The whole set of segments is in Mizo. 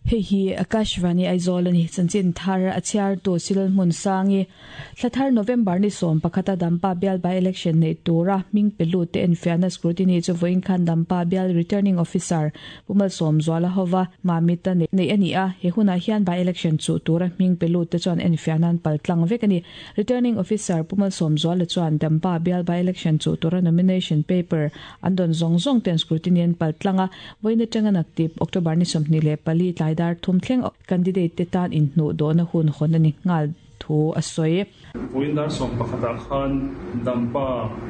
Hei hi Akashvani Aizawl a ni. Chanchin thar a chhiartu Silal Hmunsangi. Thla thar November ni 11 a Dampa bial by election neih tura hming pe lut te enfiahna scrutiny chu vawiin khan Dampa bial returning officer Pu Malsawmzuala hova Mamita neih a ni a. He hunah hian by election chuh tura hming pe lut te chuan enfiahna an pal tlang vek a ni. Returning officer Pu Malsawmzuala chuan Dampa bial by election chuh tura nomination paper An dawn zawng zawng ten scrutiny an pal tlang a, vawiin atanga naktip October ni 24 tlai dar thum thleng candidate te tan inhnuh dawhna hun hawn a ni nghal thu a sawi. Vawiin dar sawmpakhatah khan Dampa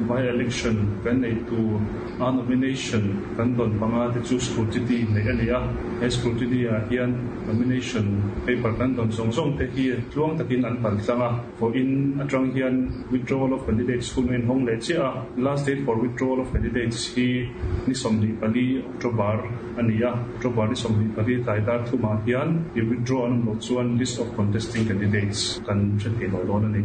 by election kan neih tur a nomination kan dawn panga te chu scrutiny neih a ni a, he scrutiny ah hian nomination paper kan dawn zawng zawng te hi tluang takin an pal tlang a. Vawiin atang hian withdrawal of candidates hun a inhawng leh chiah a, last date for withdrawal of candidates hi ni 24 October a ni a, October ni 24 tlai dar thumah hian i withdraw an awm loh chuan list of contesting candidates kan hre thei lo dawn a ni.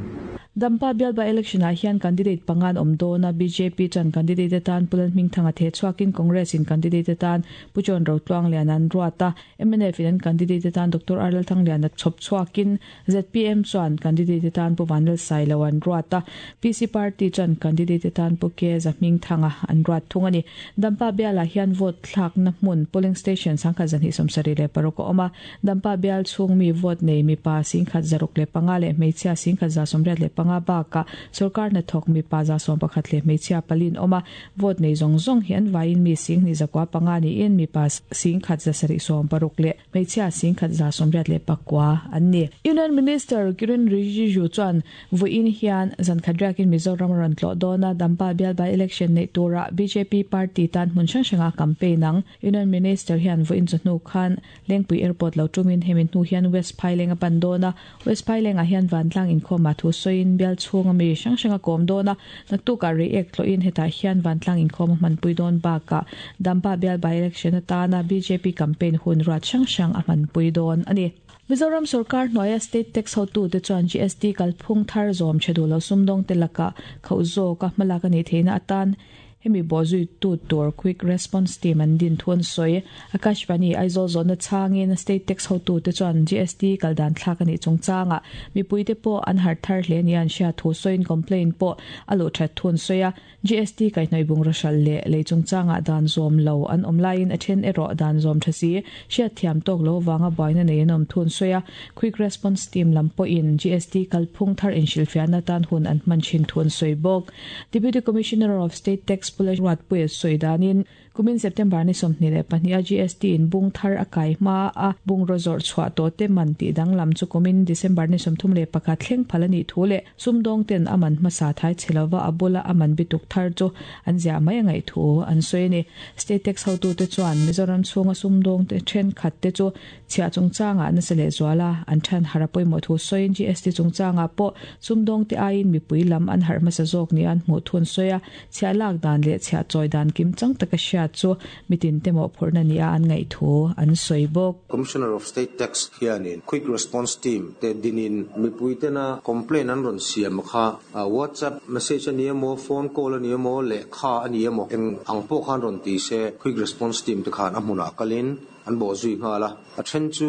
Dampa bial by election ah hian candidate panga an awm dawn a, bjp chuan candidate atan Pu Lalhmingthanga the chhuakin Congress in candidate atan Pu John Rotluanglian an ruat a, mnf in an candidate atan Doctor R Lalthangliana chhawp chhuakin Zpm chuan candidate atan Pu Vanlal Sailo an ruat a, PC Party chuan candidate atan Pu Ke Zahmingthanga an ruat thung a ni. Dampa bialah hian vote thlakna hmun polling station 1276 a awm a, Dampa bial chhung mi vote nei mipa 1065 leh hmeichhia 1185 bakah sawrkar hnathawk mipa 11 leh hmeichhia pali an awm a, Vote nei zawng zawng hi an vaiin mi 10,005 niin mipa 10,760 leh Hmeichhia 1189 an ni. Union Minister Kiren Rijiju chuan vawiin hian zankhat riakin Mizoram a rawn tlawh dawn a, Dampa bial by election neih turah bjp party tan hmun hrang hranga campaign ang. Union Minister hian vawiin chawhnu khan Lengpui Airport lo tumin hemi hnu hian West Phaileng a pan dawn a, West Phailengah hian vantlang inkhawmah thu sawiin bial chhunga mi hrang hrang a kawm dawn a, naktukah reiek tlawhin hetah hian vantlang inkhawm a hmanpui dawn bakah Dampa bial by-election atana bjp campaign hun ruat hrang hrang a hmanpui dawn a ni. Mizoram sorkar hnuaia state tax hotute chuan GST kalphung thar zawm tha duh lo sumdawngte lakah khauh zawka hmalak a nih theihna atan Hemi bawhzuitu tur Quick Response Team an din thu an sawi. Akashvani Aizawl zawhna chhangin State Tax hotute chuan GST kal dan thlak a nih chungchangah mipuite pawh an harh thar hle nia an hriat thu sawiin complaint pawh a luh that thu an sawi a. GST kaihhnawih bungraw hralh leh lei chungchangah dan zawm lo an awm laiin a then erawh dan zawm tha si hriatthiam tawk lo vanga buaina nei an awm thu an sawi a. Quick Response Team lam pawhin GST kalphung thar inhrilhfiahna atan hun an hman thin thu an sawi bawk. Deputy Commissioner of State Tax Pu Lalruatpuia sawi danin, kumin September ni 22 a GST in bung thar a kai hma a bungraw zawrh chhuah tawh te man tih danglam chu kumin December ni 31 thleng phal a nih thu leh sumdawng ten a man hmasa thai chhe lova a bula a man bituk thar chu an ziah mai a ngaih thu an sawi a ni. State Tax hotute chuan Mizoram chhunga sumdawng te thenkhat te chu Chhiah chungchangah nasa lehzual a, an than harh a pawimawh thu sawiin GST chungchangah pawh sumdawngte aiin mipui lam an harh hmasa zawk nia an hmuh thu an sawi a, chhiah lak dan leh chhiah chawi dan kim chang taka hriat chu mitin te mawhphurhna nia an ngaih thu an sawi bawk. Commissioner of State Tax hianin Quick Response Team te dinin mipui tena complaint an rawn siam kha WhatsApp message a ni emaw, phone call a ni emaw, lehkha a ni emaw eng ang pawh khan rawn ti se Quick Response Team te khan a hmunah kalin An bawh zui nghal a, a then chu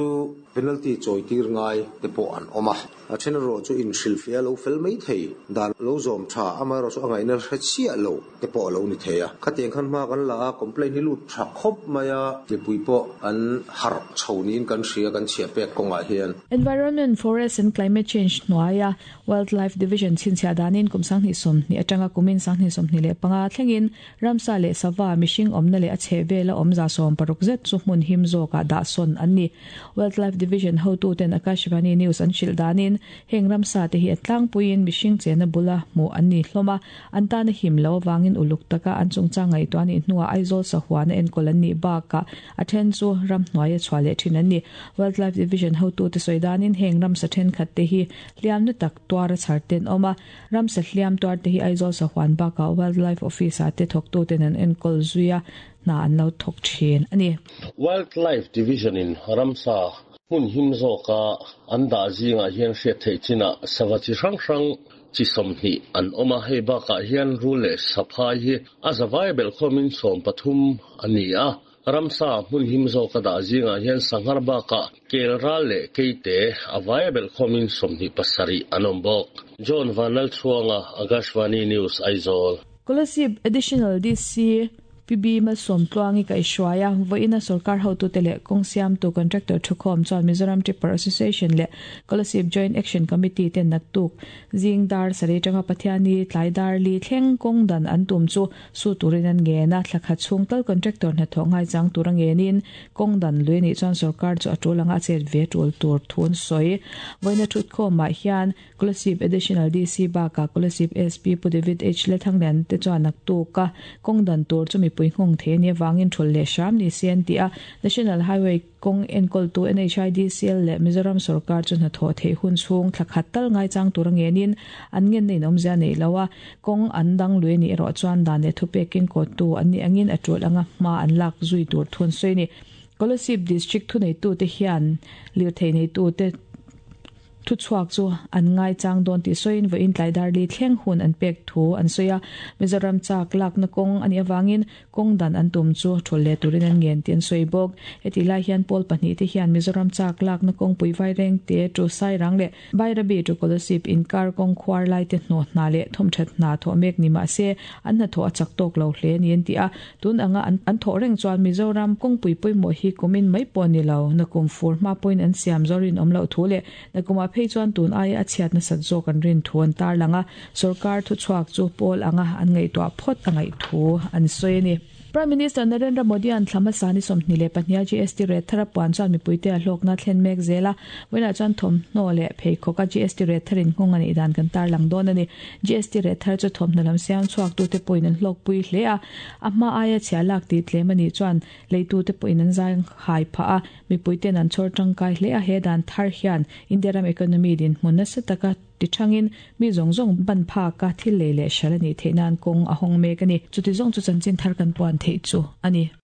penalty chawi tir ngai te pawh an awm a, a then erawh chu inhrilhfiah a lo fel mai thei, dan lo zawm tha, amaherawh chu a ngaihna hre chiah lo te pawh a lo ni thei a. Khatiang khan hma kan la a, complaint hi lut tha khawp mai a, mipui pawh an harh chho niin kan hria, kan chhiah pek kawngah hian. Environment, Forest and Climate Change hnuaia Wildlife Division chhinchhiah danin kum 2020 atanga kumin 2025 thlengin Ramsa leh sava, mihring awmna leh a chheh vela awm 60 zet chu hmun him zawkah dah sawn an ni. Wildlife Division hotuten Akashvani News an hrilh danin, heng ramsa te hi a tlangpuiin mihring chenna bula hmuh an ni hlawm a, an tana him lo avangin uluk taka an chungchang ngaihtuah nih hnuah Aizawl sahuana enkawl an nih bakah a then chu ramhnuaia chhuah leh thin an ni. Wildlife Division hotute sawi danin heng ramsa thenkhat te hi hliamna tak tuara chhar ten awm a, Ramsa hliam tuarte hi Aizawl sahuan bakah Wildlife Office-ah te thawktuten an enkawl zui a, hna an lo thawk thin a ni. Wildlife Division-in ramsa hmun him zawka an dah zingah hian hriat theih chinah sava chi hrang hrang chi 20 an awm a, hei bakah hian rul leh saphai hi a zavai belhkhawmin 13 a ni a. Ramsa hmun him zawka dah zingah hian sanghar bakah kel ral leh keite a vaia belhkhawmin 27 an awm bawk. John Vanlalchhuanga, Akashvani News, Aizawl. Kolasib Additional DC PB Malsawmtluangi kaihhruaia vawiina sorkar hotute leh kawng siamtu contractor thukhawm chuan Mizoram Tipper Association leh Kolasib Joint Action Committee ten naktuk zing dar sarih atanga Pathiani tlai dar li thleng kawng dan an tum chu su turin an ngen a, thla khat chhung tal contractor hnathawh ngaichang tur a ngenin kawng dan lui anih chuan sorkar chu a tul anga a chet ve tul tur thu an sawi. Vawiina thutkhawmah hian Kolasib Additional DC bakah Kolasib SP Pu David H. Lalthanglian te chuan naktuk a kawng dan tur chu mipui nghawng thei a nih avangin thul leh hram ni se an ti a. National Highway kawng enkawltu NHIDCL leh Mizoram sorkar chu hnathawh theih hun chhung thla khat tal ngaichang tur a ngenin an ngenna in awmzia neih lo a, kawng an dang lui a nih erawh chuan dan leh thupekin kawttu an nih angin a tul anga hma an lak zui tur thu an sawi a ni. Kolasib District thuneitute hian lirthei neitute Thuchhuak chu an ngaichang dawn tih sawiin vawiin tlai darli thleng hun an pek thu an sawi a. Mizoram chak lakna kawng a nih avangin kawng dan an tum chu thul leh turin an ngen tih an sawi bawk. Hetih lai hian pawl pahnih te hian Mizoram chak lakna kawngpui Vaireng te to Sairang leh Bairabi to Kolasib inkar kawng khuar lai te hnawh hna leh thawmthat hna thawh mek ni mah se an hnathawh a chak tawk lo hle a ni an ti a. Tun anga an thawh reng chuan Mizoram kawngpui pawimawh hi kumin mai pawh ni lo, nakum fur hma pawhin an siam zawr rinawm loh thu leh nakumah phei chuan tun aia a chhiat nasat zawk an rin thu an tarlang a, sorkar thuchhuak chu pawl anga an ngaihtuah phawt a ngaih thu an sawi a ni. Prime Minister Narendra Modi-a'n thla hmasa ni 22 a GST rate thar a puan chuan mipuite a hlawkna thlen mek zel a, vawiinah chuan thawmhnaw leh pheikhawk a GST rate thar inhawng a nih dan kan tarlang dawn a ni. GST rate thar chu thawmhnaw lam siam chhuaktute pawhin an hlawkpui hle a, a hma aia chhia lak tih tlem a nih chuan leitute pawhin an zai hai phah a, mipuite'n an chhawr tangkai hle a, he dan thar hian India ram economy dinhmun nasa taka ti thangin mi zawng zawng ban phaka thil lei leh hral a nih theih nan kawng a hawng mek a ni. Chuti zawng chu chanchin thar kan puan theih chu a ni.